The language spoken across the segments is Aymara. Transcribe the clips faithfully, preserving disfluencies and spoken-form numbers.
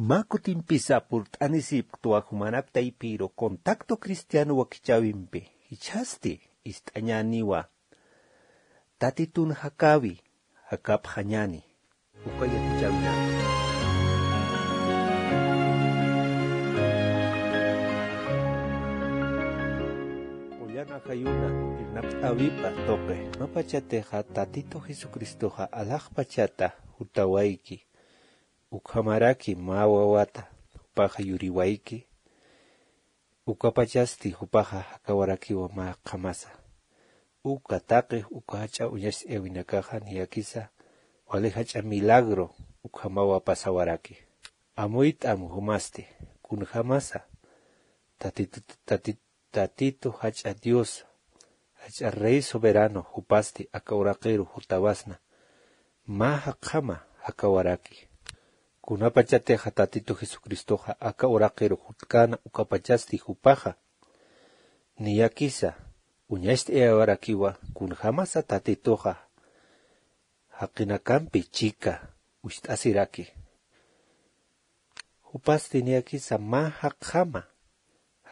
Mä kutimpisa purt'anisipktuwa jumanak taypiru contacto cristiano wakichäwimpi, jichhasti ist'añäniwa Tatitun jakäwi jakapxañäni. Uka yatichäwinaka. Ullana jayuna irnaqt'äwipa tuqi. Mä pachatixa Tatitu Jesucristoxa alaxpachata jutawayki, ukhamaraki mä wawata jupaxa yuriwayki, ukapachasti jupaxa jakawarakiwa mä qhamasa. Uka taqi uka jach'a uñacht'ayawinakaxa niyakisa wali jach'a milagro ukhamawa pasawaraki. Amuyt'am jumasti kunjämasa Tatitu, Tati-, Tatitu jach'a Dios, jach'a Rey soberano jupasti aka uraqiru jutawasna, mä jaqjama jakawaraki. Kunapachatixa Tatitu Jesucristoxa aka uraqiru jutkäna ukapachasti jupaxa niyakisa uñacht'ayawarakiwa kunjämasa Tatituxa jaqinakampi chika ucht'asiraki. Jupasti niyakisa mä jaqjama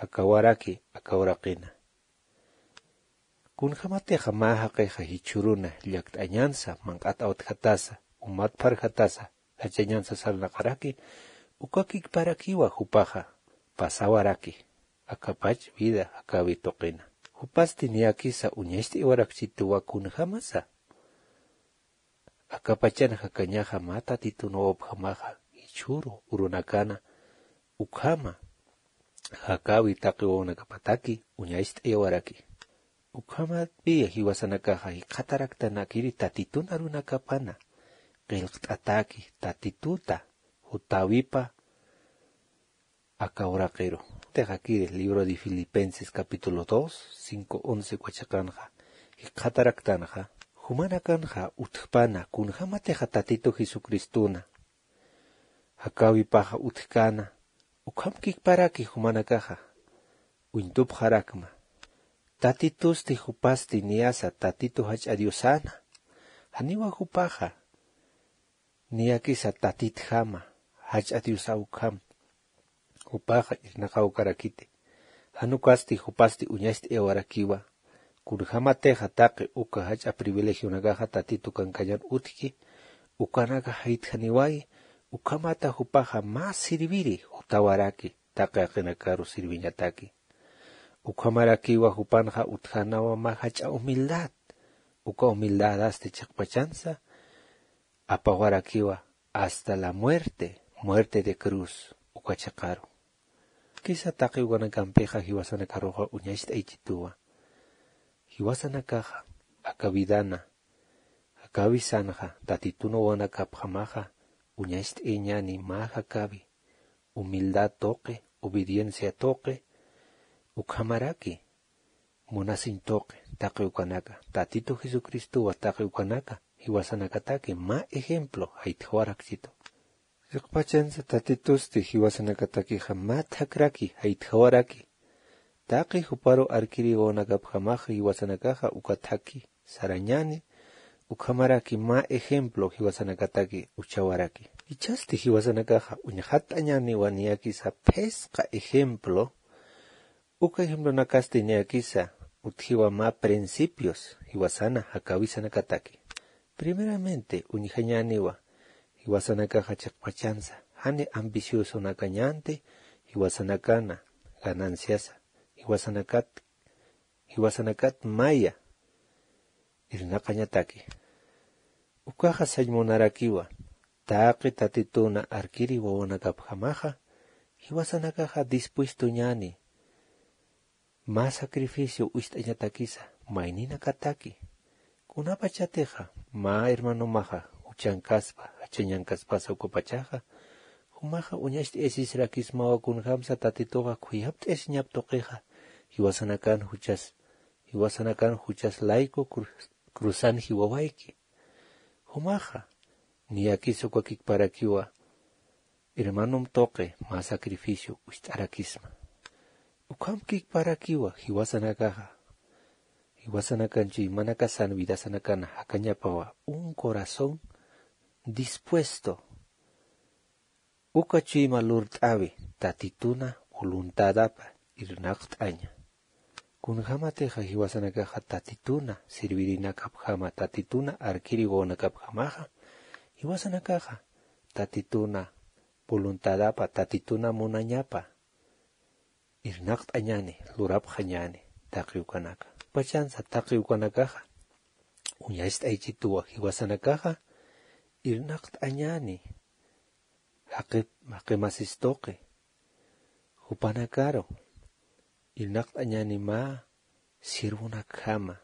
jakawaraki aka uraqina. Kunjämatixa mä jaqixa jichhüruna llakt'añansa, manq'at awtjatasa, umat pharjatasa, jachañansa sarnaqaraki, uka kikparakiwa jupaxa pasawaraki akapach vida jakäwi tuqina. Jupasti niyakisa uñacht'aywarakchituwa kunjämasa akapachan jakañaxa mä Tatitun wawapjamaxa jichhüru urunakana ukhama jakäwi taqi wawanakapataki uñacht'ayawaraki. Ukhamatpiya jiwasanakaxa jikxataraktanakiri Tatitun arunakapana qillqt'ataki Tatituta jutäwipa aka uraqiru. Utjxakiri libro de Filipenses capítulo dos, cinco once uka chiqanxa jikxataraktanxa, jumanakanxa utjpana kunjämatixa Tatitu Jesucristuna jakäwipaxa utjkäna, ukham kikparaki jumanakaxa uñtupxarakma. Tatitusti jupasti niyasa Tatitu jach'a Diosana, janiwa jupaxa niyakisa Tatitjama, jach'a Diosa ukham. Jupaxa irnaqawkarakiti. Jan ukasti jupasti uñacht'ayawarakiwa. Kunjämatixa taqi uka jach'a privilegionakaxa Tatitu kankañan utjki, ukanaka jaytjaniwayi, ukhamata jupaxa mä sirviri jutawaraki taqi jaqinakaru sirviñataki. Ukhamarakiwa jupanxa utjänawa mä jach'a humildad. Uka humildadasti chiqpachansa apawarakiwa hasta la muerte, muerte de cruz, uka chiqaru. Kisa taqi ukanakampixa jiwasanakaruxa uñacht'aychituwa. Jiwasanakaxa aka vidana jakäwisanxa Tatitun wawanakapjamaxa uñacht'ayañäni mä jakäwi, humildad tuqi, obediencia tuqi, ukhamaraki munasiñ tuqi taqi ukanaka, Tatitu Jesucristowa taqi ukanaka jiwasanakataki mä ejemplo jaytjawarakchitu. Chiqpachansa Tatitusti jiwasanakatakixa mä thakhraki jaytjawaraki. Taqi juparu arkiri wawanakapjamaxa jiwasanakaxa uka thakhi sarañäni, ukhamaraki mä ejemplo jiwasanakataki uchawaraki. Jichhasti jiwasanakaxa uñxatt'añäniwa niyakisa phisqa ejemplo. Uka ejemplonakasti niyakisa utjiwa mä principios jiwasana jakäwisanakataki. Primeramente uñjañäniwa jiwasanakaxa chiqpachansa jani ambiciosonakäñänti jiwasanakana gananciasa, jiwasanakat jiwasanakat maya irnaqañataki. Ukaxa sañ munarakiwa taqi Tatituna arkiri wawanakapjamaxa jiwasanakaxa dispuestoñäni mä sacrificio ucht'añatakisa mayninakataki. Kunapachatixa mä hermanomaxa juchankaspa jachañankaspasa ukapachaxa, jumaxa uñacht'ayasisirakismawa kunjämsa Tatituxa khuyapt'ayasiñap tuqixa jiwasanakan juchas jiwasanakan juchas layku cru-, cruzan jiwawayki. Jumaxa niyakisa uka kikparakiwa hermanom tuqi mä sacrificio ucht'arakisma. Ukham kikparakiwa jiwasanakaxa, jiwasanakan chuymanakasan vidasanakana jakañapawa un corazón dispuesto Uka chuyma lurt'awi tatituna voluntadapa irnaqt'aña. Kunjamatixa jiwasanakaxa tatituna sirvirinakapjama, tatituna arkiri wawanakapjamaxa, jiwasanakaxa tatituna voluntadapa, tatituna munañapa irnaqt'añani, lurapxañani taqi ukanaka. Pachansa taqi ukanakaxa uñacht'aychituwa jiwasanakaxa irnaqt'añani jaqi, jaqi masis tuqi jupanakaru irnaqt'añani mä sirvunakjama,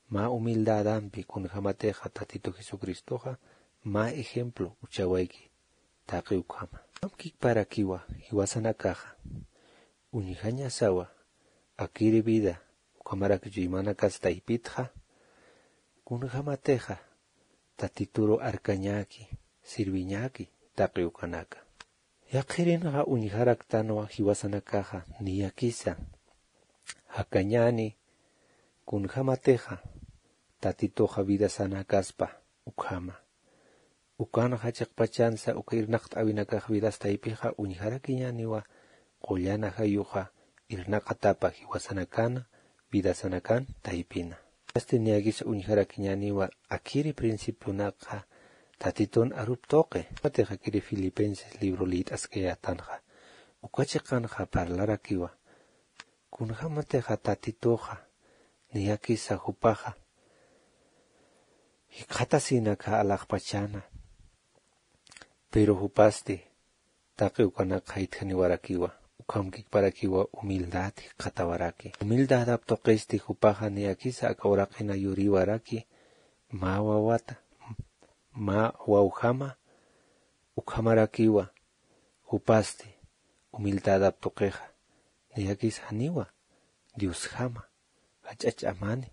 mä humildadampi kunjamatixa Tatitu Jesucristoxa mä ejemplo uchawayki taqi ukhama. Ukham kikparakiwa jiwasanakaxa uñjañasawa akiri vida ukhamarak chuymanakas taypitxa, kunjamatixa Tatituru arkañäki, sirviñäki taqi ukanaka. Yaqhirinxa uñjaraktanwa jiwasanakaxa niyakisa jakañäni kunjamatixa Tatituxa vidasanakaspa ukhama. Ukanxa chiqpachansa uka irnaqt'awinakax vidas taypixa uñjarakiñäniwa qullan ajayuxa irnaqatapa jiwasanakan, vidasanakan taypina. Asti niyakisa uñjarakiñäniwa akiri principionakxa Tatitun arup tuqi. Matixa akiri Filipenses libro liyt'askayätanxa uka chiqanxa parlarakiwa. Kunjamatixa Tatituxa niyakisa jupaxa jikxatasinakxa alaxpachana. Pero jupasti taqi ukanakxa jaytjaniwarakiwa, ukham kikparakiwa humildad jikxatawaraki. Humildadap tuqisti jupaxa niyakisa aka uraqina yuriwaraki mä wawata, mä wawjama ukhamarakiwa. Jupasti humildadap tuqixa niyakisa janiwa Diosjama jach'a ch'amani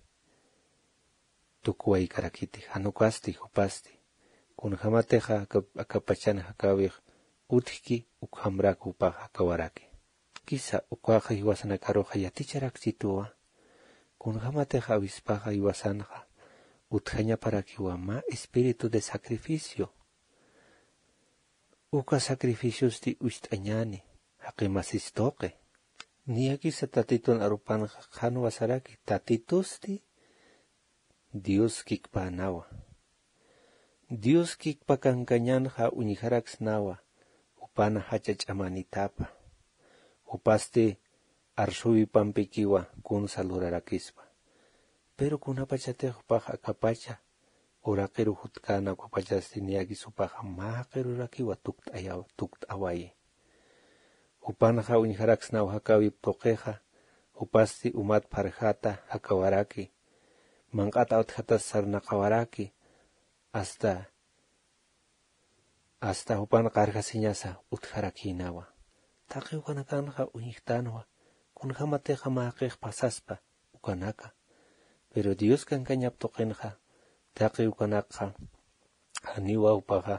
tukuwaykarakiti, jan ukasti jupasti. Kunjamatixa aka, aka pachan jakäwix utjki, ukhamrak jupax jakawaraki. Kisa ukaxa jiwasanakaruxa yaticharakchituwa, kunjamatixa awispaxa jiwasanxa utjañaparakiwa mä espíritu de sacrificio. Uka sacrificiosti ucht'añäni jaqi masis tuqi. Niyakisa Tatitun arupanxa qhanwa saraki, Tatitusti Dios kikpänawa. Dios kikpa kankañanxa uñjaraksnawa jupana jach'a ch'amanitapa. Jupasti arsuwipampikiwa kunsa lurarakispa. Pero kunapachatix jupax akapacha uraqiru jutkäna ukapachasti niyakis jupaxa mä jaqirurakiwa tukt'ayaw, tukt'awayi. Jupanxa uñjaraksnaw jakäwip tuqixa, jupasti umat pharjata jakawaraki, manq'at awtjatas sarnaqawaraki, hasta, hasta jupan qarjasiñasa utjarakïnawa. Taqi ukanakanxa uñjtänwa, kunjämatixa mä jaqix pasaspa ukanaka. Pero Dios kankañap tuqinxa, taqi ukanakxa, janiwa jupaxa,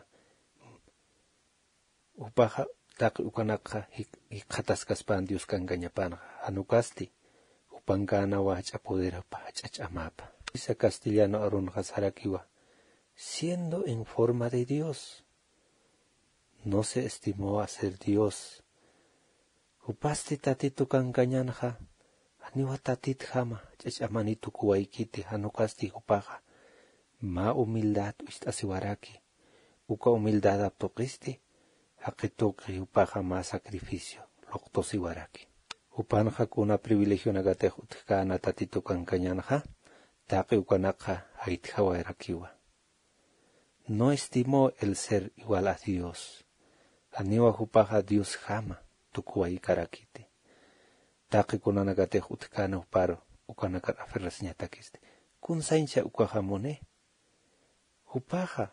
jupaxa taqi ukanakxa jik-, jikxataskaspan Dios kankañapanxa, jan ukasti jupankänawa jach'a poderapa, jach'a ch'amapa. Isa castellano arunxa sarakiwa, siendo en forma de Dios, no se estimó a ser Dios. Jupasti Tatitu kankañanxa, janiwa Tatitjama jach'a ch'amani tukuwaykiti, jan ukasti jupaxa mä humildad ucht'asiwaraki. Uka humildadap tuqisti, jaqi tuqi jupaxa mä sacrificio luqtusiwaraki. Jupanxa kuna privilegionakatix utjkäna Tatitu kankañanxa, taqi ukanakxa jaytjawayarakiwa. No estimó el ser igual a Dios. Janiwa jupaxa Diosjama tukuwaykarakiti. Taqi kunanakatix utjkäna juparu, ukanakar aferrasiñatakisti. Kunsañcha ukaxa muni. Jupaxa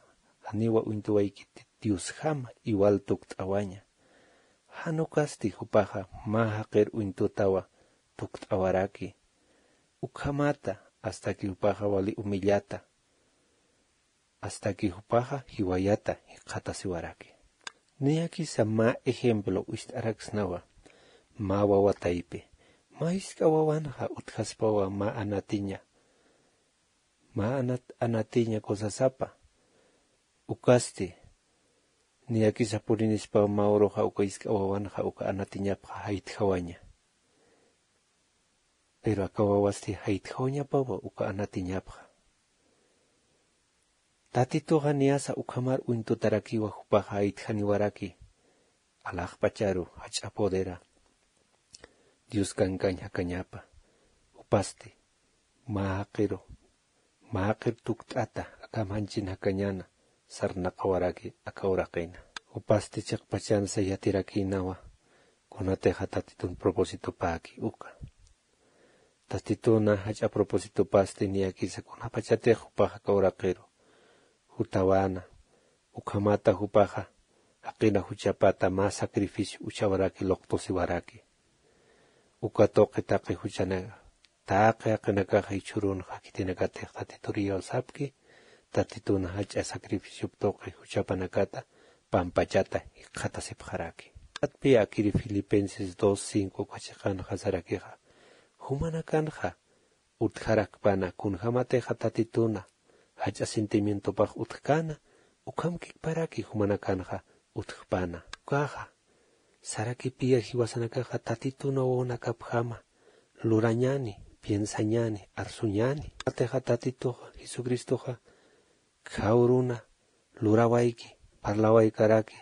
janiwa uñtuwaykiti Diosjama igual tukt'awaña. Jan ukasti jupaxa mä jaqir uñtutawa tukt'awaraki. Ukhamata, hasta que jupaxa wali humillata, hasta que jupaxa jiwayata jikxatasiwaraki. Niyakisa mä ejemplo ucht'araksnawa mä wawa taypi. Mä jisk'a wawanxa utjaspawa mä anatiña, mä anat-, anatiña kusasapa. Ukasti Niyakisa purinispaw mä uruxa uka isk'a wawanxa uka anatiñapxa jaytjawaña. Pero aka wawasti jaytjawañapawa uka anatiñapxa. Tatituxa niyasa ukhamar uñtutarakiwa jupaxa jaytjaniwaraki alaxpacharu jach'a podera Dios kankañ jakañapa. Jupasti mä jaqiru mä jaqir tukt'ata akham janchin jakañäna sarnaqawaraki aka uraqina. Jupasti chiqpachansa yatirakïnawa kunatixa tatitun propósitopäki uka. Tatituna jach'a propósitopasti niyakisa kunapachatix jupaxa aka uraqiru jutawäna ukhamata jupaxa jaqina juchapata mä sacrificio uchawaraki luqtusiwaraki. Uka tuqi taqi juchanaka taqi jaqinakaxa jichhürunxa khitinakatix tatitur iyawsapki tatituna jach'a sacrificiop tuqi juchapanakata pampachata jikxatasipxaraki. Atpi akiri filipenses dos cinco uka chiqanxa sarakixa jumanakanxa utjarakpana kunjämatixa tatituna jach'a sentimientopax utjkäna ukham kikparaki jumanakanxa utjpana ukaxa sarakipiya jiwasanakaxa tatituna wawanakapjama lurañäni piensañäni arsuñäni. Jatixa tatituxa jesucristoxa khawruna lurawayki parlawaykaraki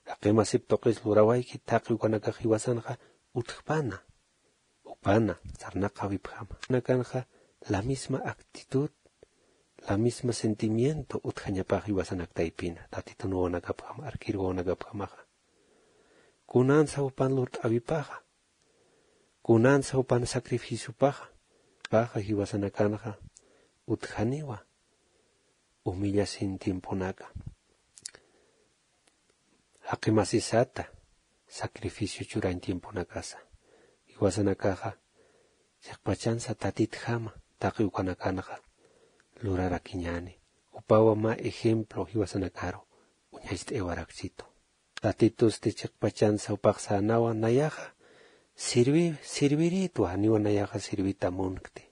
jaqimasip tuqis lurawayki taqi ukanakax jiwasanxa utjpana jupana sarnaqawipjama. Nakanxa la misma actitud la misma sentimiento utjañapax jiwasanak taypina tatitun wawanakapjama arkir wawanakapjamaxa kunansa jupan lurt'awipaxa kunansa jupan sacrificiopaxa paxa jiwasanakanxa utjaniwa humillasin tiemponaka jaqimasisata sacrificio churañ tiemponakasa jiwasanakaxa chiqpachansa tatitjama taqi ukanakanxa lurarakiñäni jupawa mä ejemplo jiwasanakaru uñacht'ayawarakchitu. Tatitusti chiqpachansa jupax sänawa nayaxa sirvi sirvirïtwa janiwa nayaxa sirvita munkti.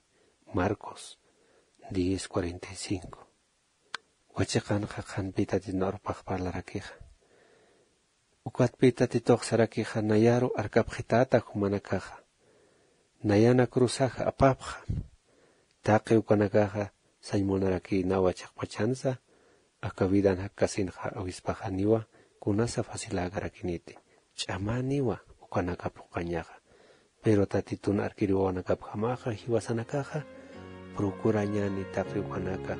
Marcos diez cuarenta y cinco. Wachiqanxa qhanpï tatitun arupax parlarakixa ukatpï tatitux sarakixa nayaru arkapxitäta jumanakaxa nayana cruzaxa apapxa taqi ukanakaxa sañ munarakïnawa chiqpachansa aka vidan jakkasinxa awispaxaniwa kunasa faciläkarakiniti ch'amäniwa ukanaka phuqañaxa. Pero tatitun arkir wawanakapjamaxa jiwasanakaxa procurañäni taqi ukanaka